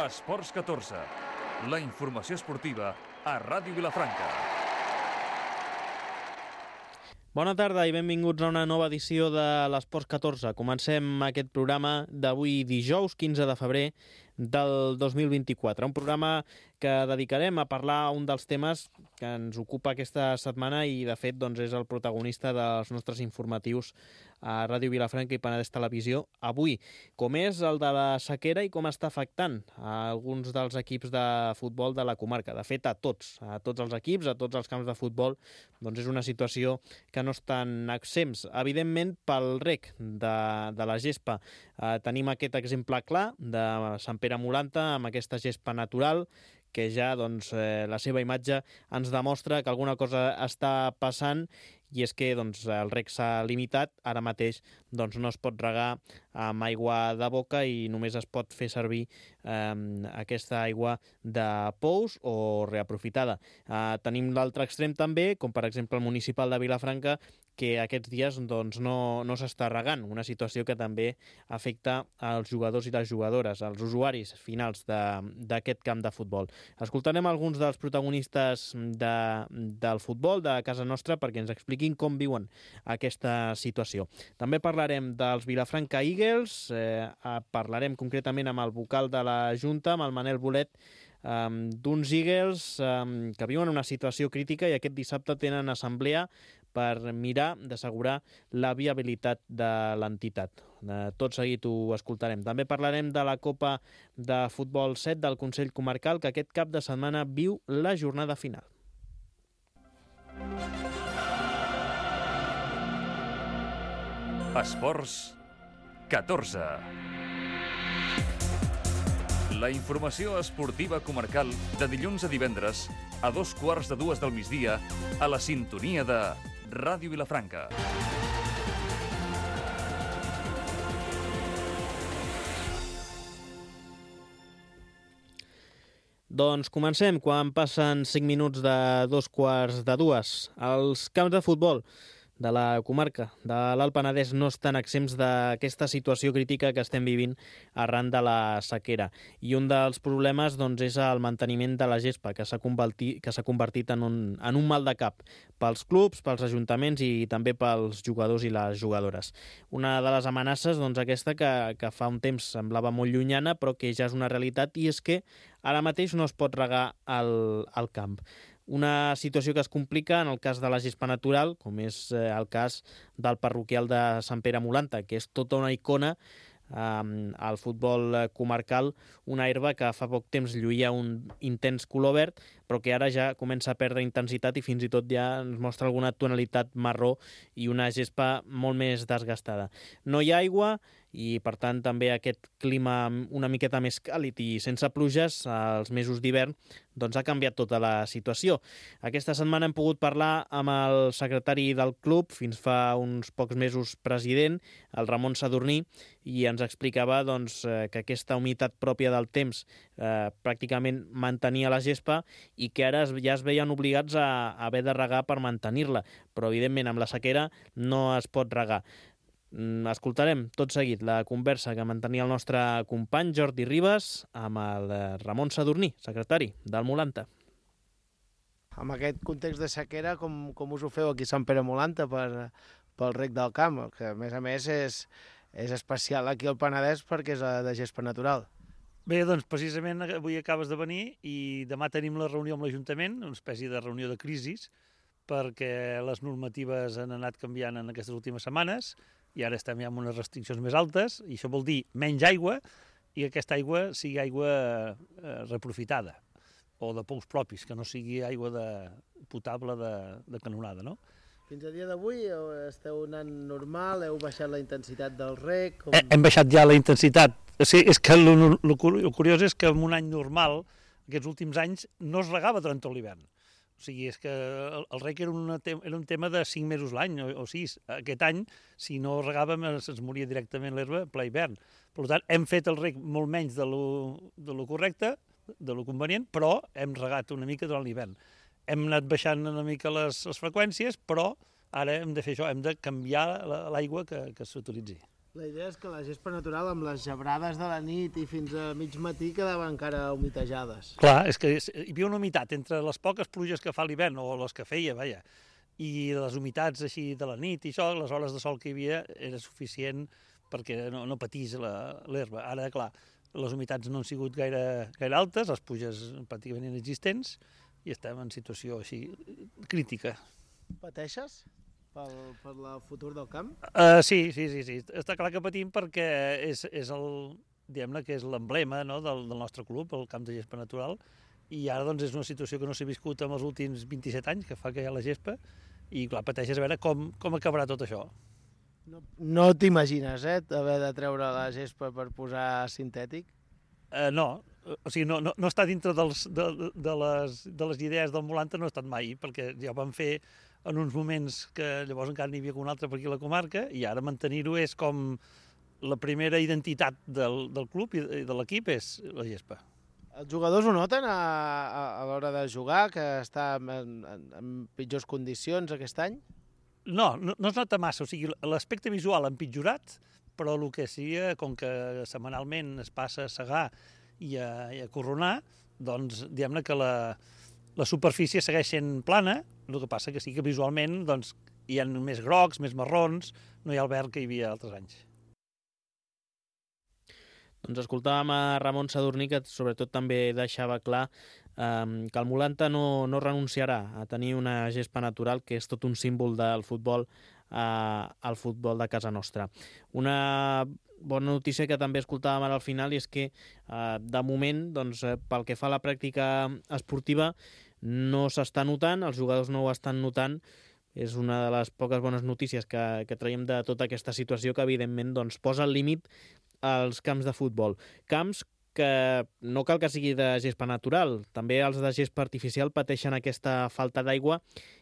Esports 14, la informació esportiva a Ràdio Vilafranca. Bona tarda i benvinguts a una nova edició de l'Esports 14. Comencem aquest programa d'avui dijous 15 de febrer del 2024. Un programa que dedicarem a parlar un dels temes que ens ocupa aquesta setmana i, de fet, doncs, és el protagonista dels nostres informatius a Ràdio Vilafranca i Penedès Televisió avui, com és el de la sequera i com està afectant a alguns dels equips de futbol de la comarca. De fet, a tots els equips, a tots els camps de futbol, doncs és una situació que no estan exempts. Evidentment, pel rec de la gespa tenim aquest exemple clar de Sant Pere Molanta amb aquesta gespa natural que ja la seva imatge ens demostra que alguna cosa està passant, i és que el rec s'ha limitat. Ara mateix no es pot regar amb aigua de boca i només es pot fer servir aquesta aigua de pous o reaprofitada. Tenim l'altre extrem també, com per exemple el municipal de Vilafranca, que aquests dies no s'està regant, una situació que també afecta als jugadors i les jugadores, als usuaris finals d'aquest camp de futbol. Escoltarem alguns dels protagonistes del futbol de casa nostra perquè ens expliquin com viuen aquesta situació. També parlarem dels Vilafranca Eagles, parlarem concretament amb el vocal de la Junta, amb el Manel Bolet, d'uns Eagles que viuen una situació crítica i aquest dissabte tenen assemblea per mirar d'assegurar la viabilitat de l'entitat. Tot seguit ho escoltarem. També parlarem de la Copa de Futbol 7 del Consell Comarcal, que aquest cap de setmana viu la jornada final. Esports 14. La informació esportiva comarcal de dilluns a divendres a 2:15 del migdia a la sintonia de Ràdio Vilafranca. Doncs comencem quan passen 5 minuts de 2:15. Els camps de futbol de la comarca de l'Alt Penedès no estan exempts d'aquesta situació crítica que estem vivint arran de la sequera. I un dels problemes és el manteniment de la gespa, que s'ha convertit en un mal de cap pels clubs, pels ajuntaments i també pels jugadors i les jugadores. Una de les amenaces, aquesta que fa un temps semblava molt llunyana, però que ja és una realitat, i és que ara mateix no es pot regar al camp. Una situació que es complica en el cas de la gespa natural, com és el cas del parroquial de Sant Pere Molanta, que és tota una icona al futbol comarcal, una herba que fa poc temps lluïa un intens color verd, però que ara ja comença a perdre intensitat i fins i tot ja ens mostra alguna tonalitat marró i una gespa molt més desgastada. No hi ha aigua i, per tant, també aquest clima una miqueta més càlid i sense pluges als mesos d'hivern ha canviat tota la situació. Aquesta setmana hem pogut parlar amb el secretari del club, fins fa uns pocs mesos president, el Ramon Sadurní, i ens explicava que aquesta humitat pròpia del temps pràcticament mantenia la gespa i que ara ja es veien obligats a haver de regar per mantenir-la, però evidentment amb la sequera no es pot regar. Escoltarem tot seguit la conversa que mantenia el nostre company Jordi Ribas amb el Ramon Sadurní, secretari del Molanta. Amb aquest context de sequera, com us ho feu aquí a Sant Pere Molanta pel rec del camp, que a més és especial aquí al Penedès perquè és de gespa natural? Bé, doncs precisament avui acabes de venir i demà tenim la reunió amb l'Ajuntament, una espècie de reunió de crisis, perquè les normatives han anat canviant en aquestes últimes setmanes i ara estem ja amb unes restriccions més altes i això vol dir menys aigua i que aquesta aigua sigui aigua reaprofitada o de pous propis, que no sigui aigua potable de canonada, no? Fins a dia d'avui esteu anant normal, heu baixat la intensitat del rec? Hem baixat ja la intensitat. Sí, és que el curiós és que en un any normal, aquests últims anys, no es regava durant tot l'hivern. O sigui, és que el rec era un tema de 5 mesos l'any, o 6. Aquest any, si no regàvem, es moria directament l'herba ple hivern. Per tant, hem fet el rec molt menys de lo correcte, de lo convenient, però hem regat una mica durant l'hivern. Hem anat baixant una mica les freqüències, però ara hem de fer això, hem de canviar l'aigua que s'utilitzi. La idea és que la gespa natural, amb les gebrades de la nit i fins a mig matí, quedaven encara humitejades. Clar, és que hi havia una humitat entre les poques pluges que fa l'hivern, o les que feia, vaja, i les humitats així de la nit i això, les hores de sol que hi havia era suficient perquè no patís l'herba. Ara, clar, les humitats no han sigut gaire altes, les pluges pràcticament inexistents, i estem en situació així crítica. Pateixes per el futur del camp? Sí. Està clar que patim perquè és diguem-ne que és l'emblema, no, del nostre club, el camp de gespa natural, i ara doncs és una situació que no s'ha viscut en els últims 27 anys, que fa que hi ha la gespa, i clar, pateixes a veure com acabarà tot això. No t'imagines, haver de treure la gespa per posar sintètic? No, o sigui, no està dintre de les idees del Molanta, no ha estat mai, perquè ja ho vam fer en uns moments que llavors encara n'hi havia un altre per aquí a la comarca, i ara mantenir-ho és com la primera identitat del club i de l'equip és la gespa. Els jugadors ho noten a l'hora de jugar, que està en pitjors condicions aquest any? No es nota massa, o sigui, l'aspecte visual ha empitjorat, però el que seria, com que setmanalment es passa a segar i a corronar, doncs diguem-ne que la superfície segueix sent plana, el que passa que sí que visualment doncs, hi ha més grocs, més marrons, no hi ha el verd que hi havia altres anys. Doncs escoltàvem a Ramon Sadurní, que sobretot també deixava clar que el Molanta no renunciarà a tenir una gespa natural, que és tot un símbol del futbol al futbol de casa nostra. Una bona notícia que també escoltàvem ara al final és que de moment, doncs, pel que fa a la pràctica esportiva, no s'està notant, els jugadors no ho estan notant. És una de les poques bones notícies que traiem de tota aquesta situació, que evidentment doncs, posa el límit als camps de futbol. Camps que no cal que sigui de gespa natural, també els de gespa artificial pateixen aquesta falta d'aigua,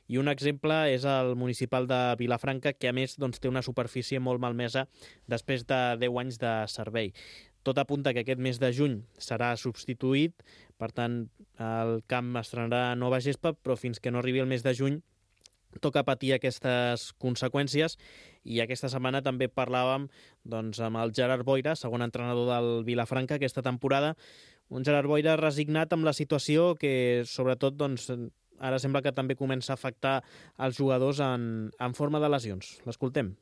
i un exemple és el municipal de Vilafranca, que a més doncs, té una superfície molt malmesa després de 10 anys de servei. Tot apunta que aquest mes de juny serà substituït, per tant el camp estrenarà nova gespa, però fins que no arribi el mes de juny toca patir aquestes conseqüències. I aquesta setmana també parlàvem doncs, amb el Gerard Boira, segon entrenador del Vilafranca aquesta temporada, un Gerard Boira resignat amb la situació que sobretot doncs, ara sembla que també comença a afectar els jugadors en forma de lesions. L'escoltem.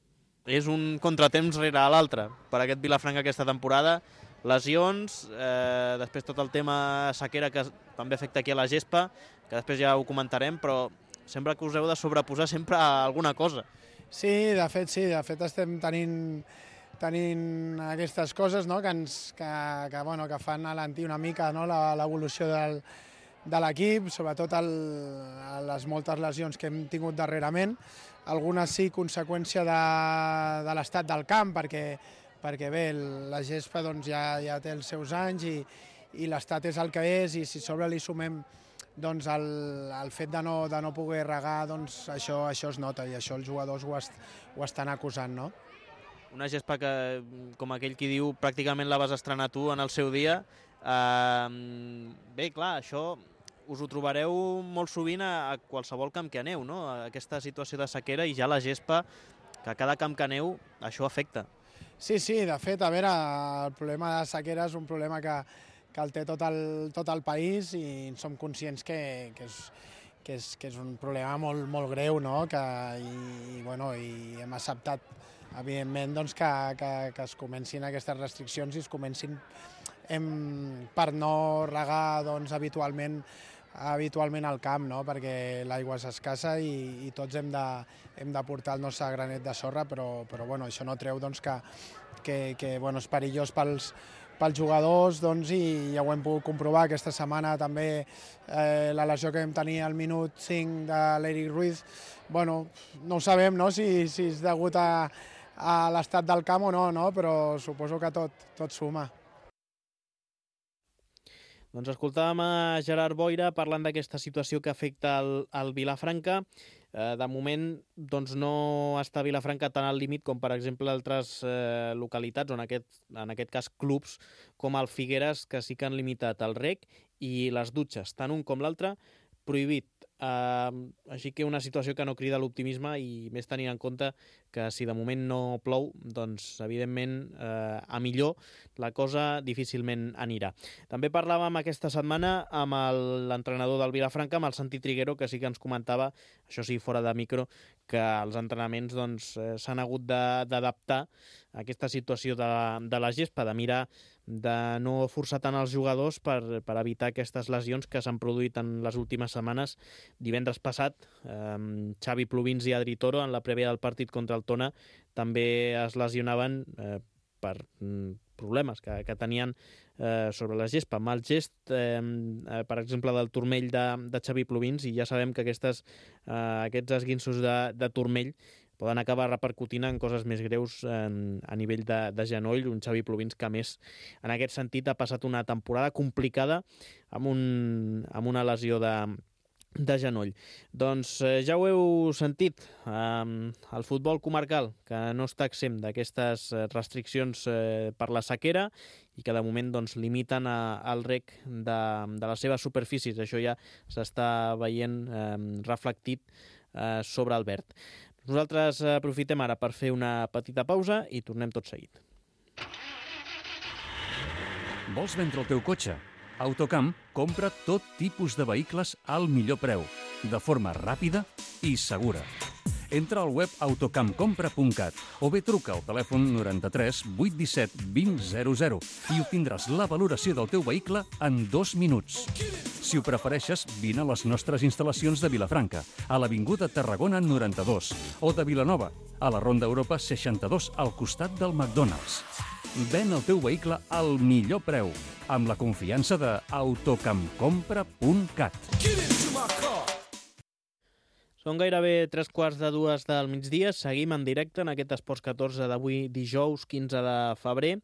És un contratemps rere l'altre per aquest Vilafranca aquesta temporada. Lesions, després tot el tema sequera que també afecta aquí a la gespa, que després ja ho comentarem, però sembla que us heu de sobreposar sempre a alguna cosa. Sí, de fet estem tenint aquestes coses, no? que fan alentir una mica, no? l'evolució de l'equip, sobretot les moltes lesions que hem tingut darrerament. Algunes sí, conseqüència de l'estat del camp, perquè bé, la gespa doncs, ja té els seus anys i l'estat és el que és, i si sobre li sumem doncs el fet de no poder regar, doncs això es nota, i això els jugadors ho estan acusant, no? Una gespa que, com aquell qui diu, pràcticament la vas estrenar tu en el seu dia. Bé, clar, això us ho trobareu molt sovint a qualsevol camp que aneu, no? Aquesta situació de sequera, i ja la gespa, que a cada camp que aneu, això afecta. Sí, de fet, a veure, el problema de sequera és un problema que el té tot el país, i som conscients que és un problema molt greu, no? I hem acceptat, evidentment, doncs, que es comencin aquestes restriccions i es comencin per no regar doncs, habitualment al camp, no? Perquè l'aigua és escassa i tots hem de portar el nostre granet de sorra, però això no treu doncs, que és perillós pels jugadors, doncs, i ja ho hem pogut comprovar aquesta setmana també. La lesió que vam tenir al minut 5 de l'Eric Ruiz, no ho sabem, no? si és degut a l'estat del camp o no, però suposo que tot suma. Doncs escoltàvem a Gerard Boira parlant d'aquesta situació que afecta el Vilafranca. De moment doncs, no està Vilafranca tan al límit com, per exemple, altres localitats, o en aquest cas clubs, com el Figueres, que sí que han limitat el rec i les dutxes, tant un com l'altre, prohibit Així que una situació que no crida l'optimisme i més tenint en compte que si de moment no plou, doncs evidentment a millor la cosa difícilment anirà. També parlàvem aquesta setmana amb l'entrenador del Vilafranca, amb el Santi Triguero, que sí que ens comentava, això sí, fora de micro, que els entrenaments s'han hagut d'adaptar a aquesta situació de la gespa, de mirar de no forçar tant els jugadors per evitar aquestes lesions que s'han produït en les últimes setmanes. Divendres passat, Xavi Plovins i Adri Toro, en la prèvia del partit contra el Tona, també es lesionaven per problemes que tenien sobre la gespa. Mal gest, per exemple, del turmell de Xavi Plovins, i ja sabem que aquests esguinços de turmell poden acabar repercutint en coses més greus a nivell de genoll. Un Xavi Plovins que, a més, en aquest sentit, ha passat una temporada complicada amb una lesió de genoll. Doncs ja ho heu sentit, el futbol comarcal, que no està exempt d'aquestes restriccions per la sequera i que de moment limiten el rec de les seves superfícies. Això ja s'està veient reflectit sobre el verd. Nosaltres aprofitem ara per fer una petita pausa i tornem tot seguit. Vols vendre el teu cotxe? Autocamp compra tot tipus de vehicles al millor preu, de forma ràpida i segura. Entra al web autocampcompra.cat o bé truca al telèfon 93 817 2000 i obtindràs la valoració del teu vehicle en 2 minuts. Si ho prefereixes, vine a les nostres instal·lacions de Vilafranca, a l'Avinguda Tarragona 92, o de Vilanova, a la Ronda Europa 62, al costat del McDonald's. Ven el teu vehicle al millor preu, amb la confiança de autocampcompra.cat. Són gairebé 3:45 del migdia. Seguim en directe en aquest Esports 14 d'avui, dijous 15 de febrer.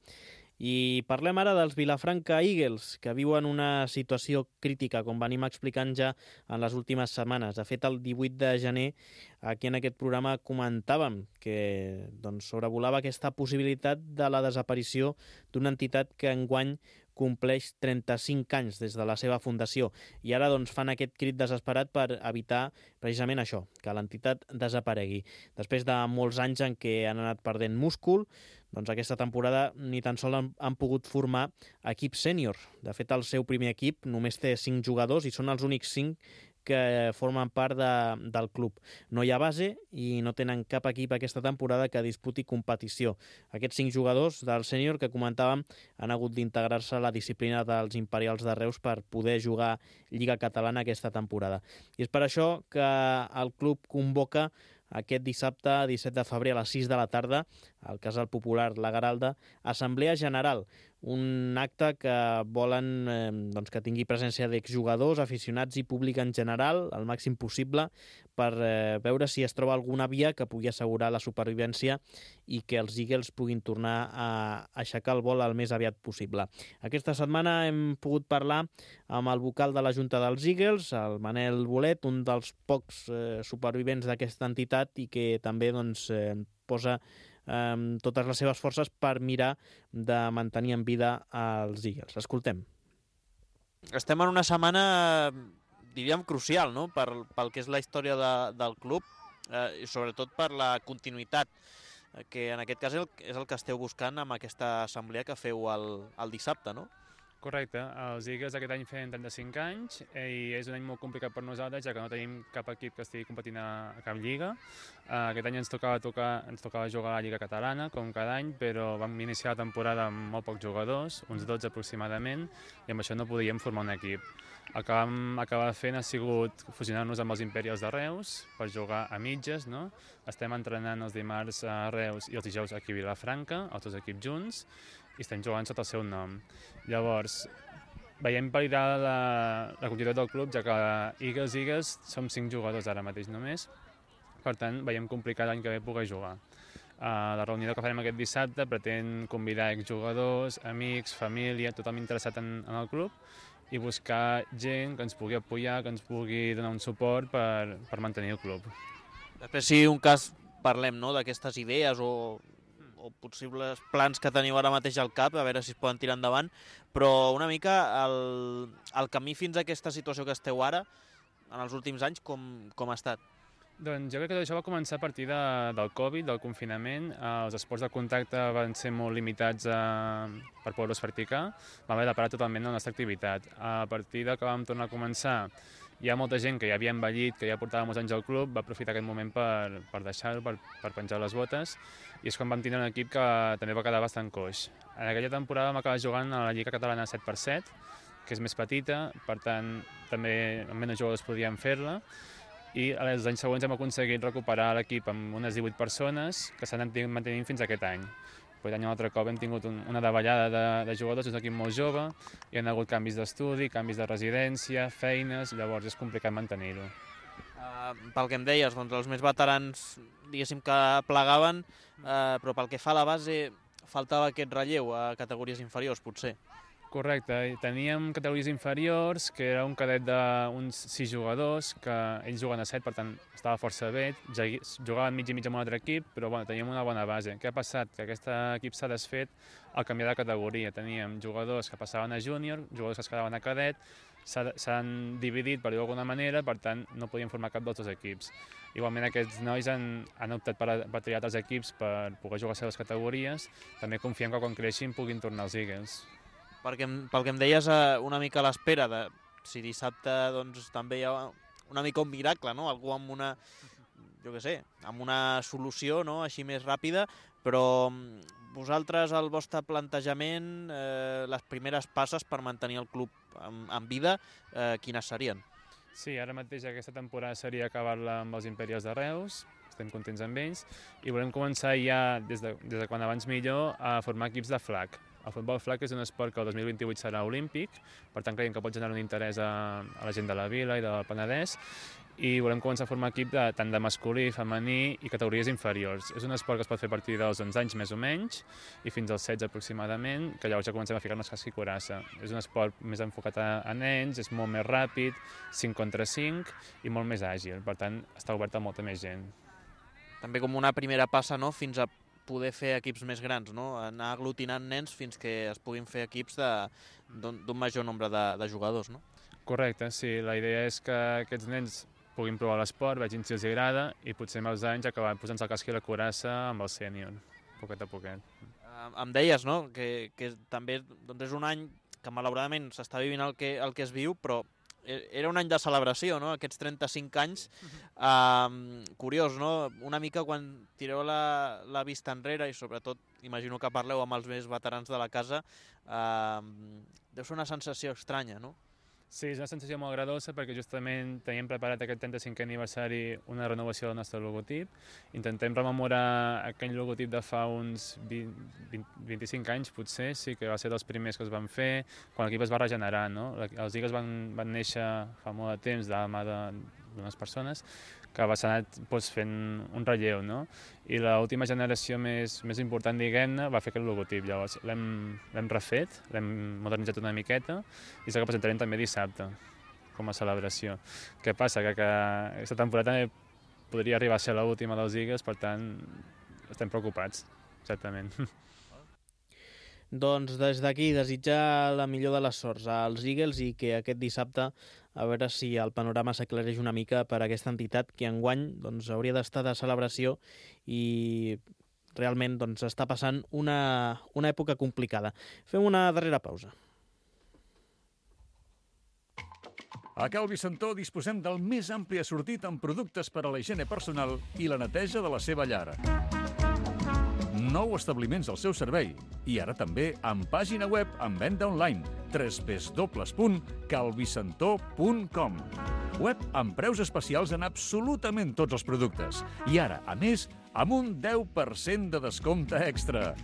I parlem ara dels Vilafranca Eagles, que viuen una situació crítica, com venim explicant ja en les últimes setmanes. De fet, el 18 de gener, aquí en aquest programa comentàvem que sobrevolava aquesta possibilitat de la desaparició d'una entitat que enguany compleix 35 anys des de la seva fundació. I ara fan aquest crit desesperat per evitar precisament això, que l'entitat desaparegui. Després de molts anys en què han anat perdent múscul, aquesta temporada ni tan sols han pogut formar equip sènior. De fet, el seu primer equip només té 5 jugadors i són els únics 5 que formen part del club. No hi ha base i no tenen cap equip aquesta temporada que disputi competició. Aquests 5 jugadors del sènior que comentàvem han hagut d'integrar-se a la disciplina dels Imperials de Reus per poder jugar Lliga Catalana aquesta temporada. I és per això que el club convoca aquest dissabte 17 de febrer a les 6 de la tarda al Casal Popular La Garalda, Assemblea General, un acte que volen que tingui presència d'exjugadors, aficionats i públic en general, al màxim possible, per veure si es troba alguna via que pugui assegurar la supervivència i que els Eagles puguin tornar a aixecar el vol el més aviat possible. Aquesta setmana hem pogut parlar amb el vocal de la Junta dels Eagles, el Manel Bolet, un dels pocs supervivents d'aquesta entitat i que també posa totes les seves forces per mirar de mantenir en vida els Eagles. Escoltem. Estem en una setmana, diríem, crucial, no?, pel que és la història del club i sobretot per la continuïtat, que en aquest cas és el que esteu buscant amb aquesta assemblea que feu el dissabte, no? Correcte, els Eagles aquest any feien 35 anys i és un any molt complicat per nosaltres, ja que no tenim cap equip que estigui competint a cap lliga. Aquest any ens tocava jugar a la Lliga Catalana, com cada any, però vam iniciar la temporada amb molt pocs jugadors, uns 12 aproximadament, i amb això no podíem formar un equip. El que vam acabar fent ha sigut fusionar-nos amb els Imperials de Reus per jugar a mitges, no? Estem entrenant els dimarts a Reus i els dijous aquí a Vilafranca, els dos equips junts, i estem jugant sota el seu nom. Llavors, veiem perillar la continuïtat del club, ja que Eagles som 5 jugadors ara mateix només, per tant, veiem complicat l'any que ve poder jugar. La reunió que farem aquest dissabte pretén convidar exjugadors, amics, família, tothom interessat en el club, i buscar gent que ens pugui apoyar, que ens pugui donar un suport per mantenir el club. Després, si un cas parlem, no?, d'aquestes idees o possibles plans que teniu ara mateix al cap, a veure si es poden tirar endavant, però una mica el camí fins a aquesta situació que esteu ara, en els últims anys com ha estat? Doncs jo crec que tot això va començar a partir del Covid, del confinament. Els esports de contacte van ser molt limitats per poder-los practicar. Vam haver de parar totalment la nostra activitat. A partir de que vam tornar a començar, hi ha molta gent que ja havia envellit, que ja portava molts anys al club, va aprofitar aquest moment per deixar-ho, per penjar les botes, i és quan vam tindre un equip que també va quedar bastant coix. En aquella temporada vam acabar jugant a la Lliga Catalana 7x7, que és més petita, per tant, també amb menys jugadors podíem fer-la, i els anys següents hem aconseguit recuperar l'equip amb unes 18 persones que s'han anat mantenint fins aquest any. Aquest any un altre cop hem tingut una davallada de jugadors, és un equip molt jove, hi ha hagut canvis d'estudi, canvis de residència, feines, llavors és complicat mantenir-ho. Pel que em deies, doncs els més veterans, diguéssim que plegaven, però pel que fa a la base faltava aquest relleu a categories inferiors, potser. Correcte, teníem categories inferiors, que era un cadet d'uns 6 jugadors, que ells juguen a 7, per tant estava força bé, jugaven mig i mig amb un altre equip, però bueno, teníem una bona base. Què ha passat? Que aquest equip s'ha desfet al canviar de categoria. Teníem jugadors que passaven a júnior, jugadors que es quedaven a cadet, s'han dividit, per dir-ho d'alguna manera, per tant no podien formar cap dels dos equips. Igualment aquests nois han optat per triar altres equips per poder jugar a les seves categories. També confiem que quan creixin puguin tornar als Eagles. Pel que em deies, una mica a l'espera de si dissabte doncs, també hi ha una mica un miracle, no? Algú amb una, jo què sé, amb una solució, no? Així més ràpida, però vosaltres, el vostre plantejament, les primeres passes per mantenir el club en vida, quines serien? Sí, ara mateix aquesta temporada seria acabar-la amb els Imperials de Reus, estem contents amb ells, i volem començar ja, des de quan abans millor, a formar equips de flag. El futbol flag és un esport que el 2028 serà olímpic, per tant creiem que pot generar un interès a la gent de la Vila i del Penedès, i volem començar a formar equip tant de masculí, femení i categories inferiors. És un esport que es pot fer a partir dels 11 anys més o menys i fins als 16 aproximadament, que llavors ja comencem a ficar-nos casca i coraça. És un esport més enfocat a nens, és molt més ràpid, 5 contra 5 i molt més àgil, per tant està obert a molta més gent. També com una primera passa, no?, fins a poder fer equips més grans, no? Anar aglutinant nens fins que es puguin fer equips d'un major nombre de jugadors, no? Correcte, sí. La idea és que aquests nens puguin provar l'esport, vegin si els agrada i potser amb els anys acabar posant-se el casc i la coraça amb el sènior, poquet a poquet. Em deies, no?, que també doncs és un any que malauradament s'està vivint el que es viu, però era un any de celebració, no?, aquests 35 anys. Curiós, no?, una mica quan tireu la vista enrere, i sobretot imagino que parleu amb els més veterans de la casa, deu ser una sensació estranya, no? Sí, és una sensació molt agradadosa perquè justament teníem preparat aquest 35è aniversari una renovació del nostre logotip. Intentem rememorar aquell logotip de fa uns 25 anys, potser, sí, que va ser dels primers que es van fer, quan l'equip es va regenerar, no? Els Eagles van néixer fa molt de temps de la mà d'unes persones que va ser anat fent un relleu, no? I l'última generació més important, diguem-ne, va fer aquest logotip. Llavors l'hem refet, l'hem modernitzat una miqueta i és el que presentarem també dissabte com a celebració. Què passa? Que aquesta temporada també podria arribar a ser l'última dels Eagles, per tant estem preocupats, certament. Doncs des d'aquí desitjar la millor de les sorts als Eagles i que aquest dissabte a veure si el panorama s'aclareix una mica per a aquesta entitat que enguany doncs, hauria d'estar de celebració i realment doncs, està passant una època complicada. Fem una darrera pausa. A Cal Vicentó disposem del més ampli assortit en productes per a la higiene personal i la neteja de la seva llar. 9 establiments al seu servei i ara també amb pàgina web amb venda online www.calvicentó.com. Web amb preus especials en absolutament tots els productes i ara, a més, amb un 10% de descompte extra.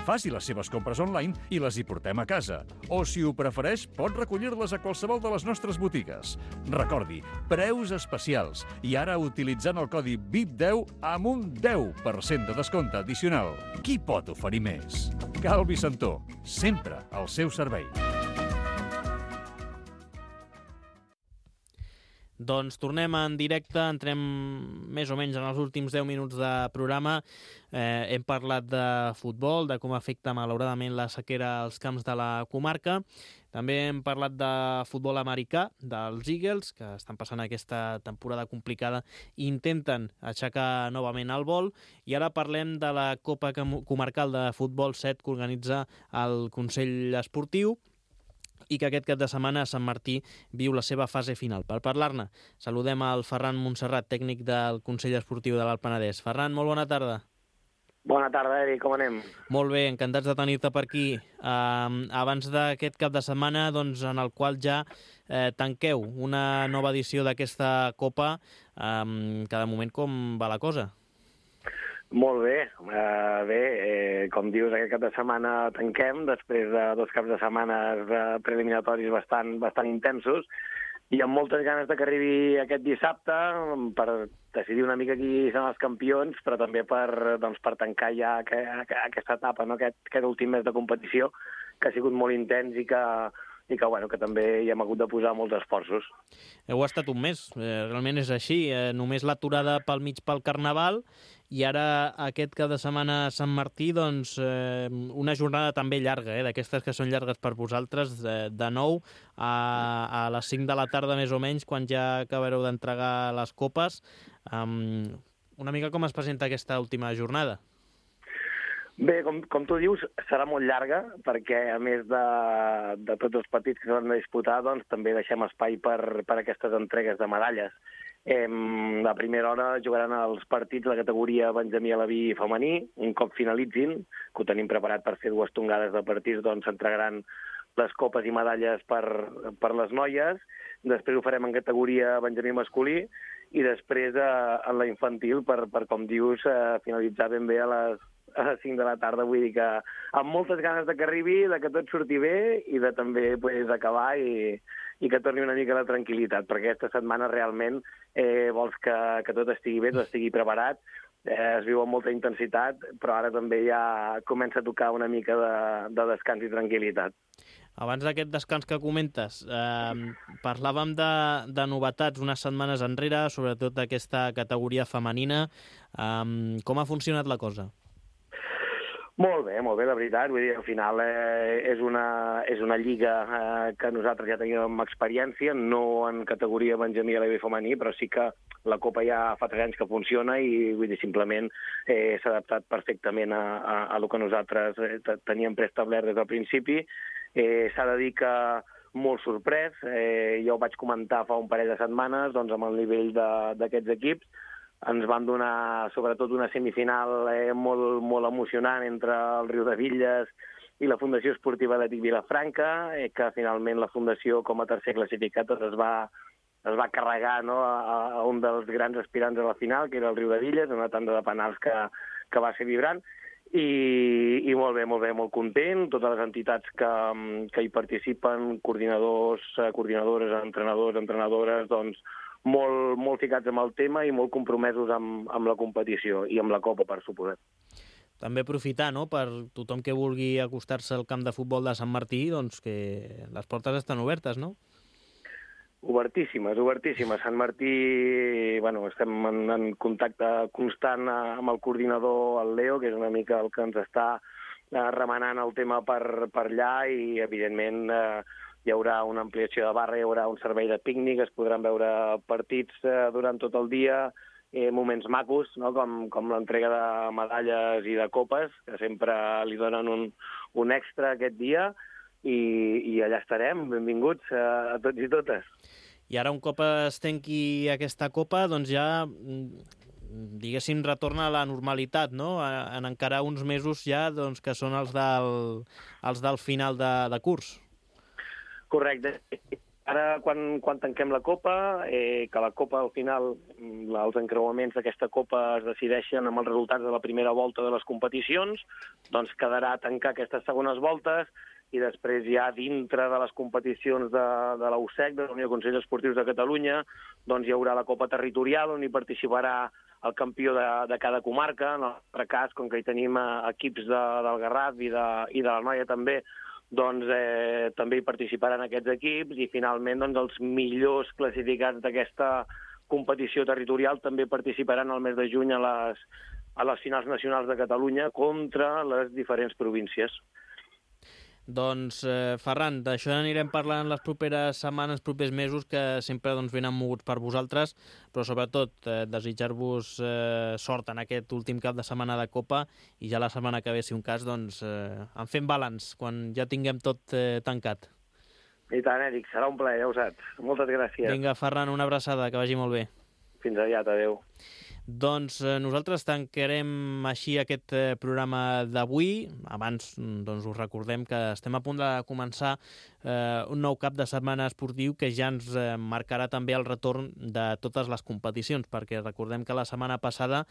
Faci les seves compres online i les hi portem a casa. O, si ho prefereix, pot recollir-les a qualsevol de les nostres botigues. Recordi, preus especials i ara utilitzant el codi VIP10 amb un 10% de descompte addicional. Qui pot oferir més? Cal Vicentó, sempre al seu servei. Doncs tornem en directe, entrem més o menys en els últims 10 minuts de programa. Hem parlat de futbol, de com afecta malauradament la sequera als camps de la comarca. També hem parlat de futbol americà, dels Eagles, que estan passant aquesta temporada complicada i intenten aixecar novament el vol. I ara parlem de la Copa Comarcal de Futbol 7 que organitza el Consell Esportiu i que aquest cap de setmana a Sant Martí viu la seva fase final. Per parlar-ne, saludem al Ferran Montserrat, tècnic del Consell Esportiu de l'Alt Penedès. Ferran, molt bona tarda. Bona tarda, Eric, com anem? Molt bé, encantats de tenir-te per aquí. Abans d'aquest cap de setmana, doncs, en el qual ja tanqueu una nova edició d'aquesta Copa, cada moment com va la cosa? Molt bé. Com dius, aquest cap de setmana tanquem, després de 2 caps de setmana preliminatoris bastant intensos, i amb moltes ganes de que arribi aquest dissabte per decidir una mica qui són els campions, però també per tancar ja aquesta etapa, no? aquest últim mes de competició, que ha sigut molt intens i que també hi hem hagut de posar molts esforços. Heu estat un mes, realment és així, només l'aturada pel mig pel Carnaval, i ara aquest cap de setmana a Sant Martí, doncs una jornada també llarga, d'aquestes que són llargues per vosaltres, de 9 a les 5 de la tarda més o menys, quan ja acabareu d'entregar les copes. Una mica com es presenta aquesta última jornada? Bé, com tu dius, serà molt llarga, perquè a més de tots els partits que s'han de disputar, doncs també deixem espai per aquestes entregues de medalles. A primera hora jugaran els partits de la categoria Benjamí Alaví femení. Un cop finalitzin, que ho tenim preparat per fer 2 tongades de partits, doncs s'entregaran les copes i medalles per les noies. Després ho farem en categoria Benjamí masculí i després en la infantil per com dius, finalitzar ben bé a les 5 de la tarda. Vull dir que amb moltes ganes de que arribi, de que tot surti bé i de també acabar i que torni una mica la tranquil·litat, perquè aquesta setmana realment vols que tot estigui bé, tot estigui preparat, es viu amb molta intensitat, però ara també ja comença a tocar una mica de descans i tranquil·litat. Abans d'aquest descans que comentes, parlàvem de novetats unes setmanes enrere, sobretot d'aquesta categoria femenina. Com ha funcionat la cosa? Molt bé, la veritat. Vull dir, al final és una lliga que nosaltres ja teníem experiència, no en categoria Benjamí Alaví femení, però sí que la Copa ja fa 3 anys que funciona i vull dir, simplement s'ha adaptat perfectament a lo que nosaltres teníem preestablert des del principi. S'ha de dir que molt sorprès. Jo ho vaig comentar fa un parell de setmanes doncs, amb el nivell d'aquests equips. Ens van donar, sobretot, una semifinal molt emocionant entre el Riudebitlles i la Fundació Esportiva Atlètic Vilafranca, que finalment la Fundació, com a tercer classificat, es va carregar, no, a un dels grans aspirants a la final, que era el Riudebitlles, una tanda de penals que va ser vibrant. I molt bé, molt content. Totes les entitats que hi participen, coordinadors, coordinadores, entrenadors, entrenadores, doncs molt ficats amb el tema i molt compromesos amb la competició i amb la Copa, per suposat. També aprofitar, no?, per tothom que vulgui acostar-se al camp de futbol de Sant Martí, doncs que les portes estan obertes, no? Obertíssimes. Sant Martí, estem en contacte constant amb el coordinador, el Leo, que és una mica el que ens està remenant el tema per allà i, evidentment, hi haurà una ampliació de barra, hi haurà un servei de pícnic, es podran veure partits durant tot el dia, moments macos, no? com l'entrega de medalles i de copes, que sempre li donen un extra aquest dia, i allà estarem. Benvinguts a tots i totes. I ara, un cop es tanqui aquesta Copa, doncs ja, diguéssim, retorna a la normalitat, no? En encara uns mesos ja, doncs, que són els del final de curs. Correcte. Ara, quan tanquem la Copa, que la Copa, al final, els encreuaments d'aquesta Copa es decideixen amb els resultats de la primera volta de les competicions, doncs quedarà tancar aquestes segones voltes i després ja dintre de les competicions de la USEC, de la Unió de Consells Esportius de Catalunya, doncs hi haurà la Copa Territorial, on hi participarà el campió de cada comarca. En el nostre cas, com que hi tenim equips del Garraf i de la Noia també, doncs, també hi participaran aquests equips i finalment doncs, els millors classificats d'aquesta competició territorial també participaran el mes de juny a les finals nacionals de Catalunya contra les diferents províncies. Doncs, Ferran, d'això anirem parlant les properes setmanes, propers mesos, que sempre venen moguts per vosaltres, però sobretot desitjar-vos sort en aquest últim cap de setmana de Copa i ja la setmana que ve, si un cas, en fem balanç, quan ja tinguem tot tancat. I tant, Eric, serà un plaer, ja ho saps. Moltes gràcies. Vinga, Ferran, una abraçada, que vagi molt bé. Fins aviat, adeu. Doncs nosaltres tancarem així aquest programa d'avui. Abans us recordem que estem a punt de començar un nou cap de setmana esportiu que ja ens marcarà també el retorn de totes les competicions, perquè recordem que la setmana passada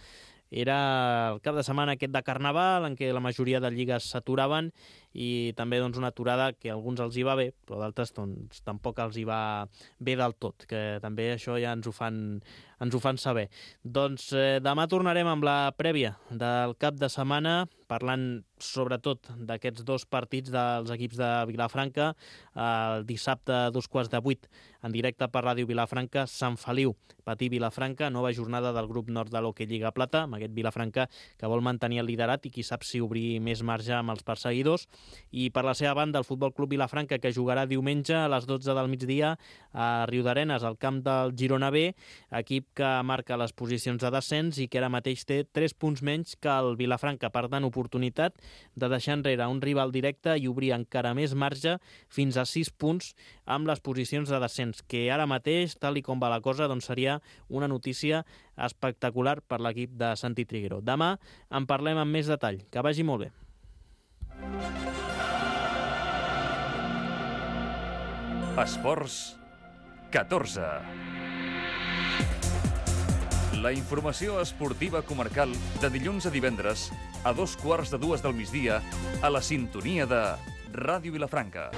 era el cap de setmana aquest de Carnaval, en què la majoria de lligues s'aturaven i també una aturada que a alguns els hi va bé, però d'altres tampoc els hi va bé del tot, que també això ja ens ho fan saber. Doncs demà tornarem amb la prèvia del cap de setmana, parlant sobretot d'aquests dos partits dels equips de Vilafranca. El dissabte a 7:15 en directe per Ràdio Vilafranca, Sant Feliu, Patí Vilafranca, nova jornada del grup nord de l'Hockey Lliga Plata, amb aquest Vilafranca que vol mantenir el liderat i qui sap si obrir més marge amb els perseguidors. I per la seva banda el Futbol Club Vilafranca, que jugarà diumenge a les 12 del migdia a Riudarenes, al camp del Girona B, equip que marca les posicions de descens i que ara mateix té 3 punts menys que el Vilafranca. Per tant, oportunitat de deixar enrere un rival directe i obrir encara més marge fins a 6 punts amb les posicions de descens, que ara mateix, tal i com va la cosa, seria una notícia espectacular per l'equip de Santi Triguero. Demà en parlem amb més detall. Que vagi molt bé. Esports 14. La informació esportiva comarcal de dilluns a divendres a 2:15 del migdia a la sintonia de Ràdio Vilafranca.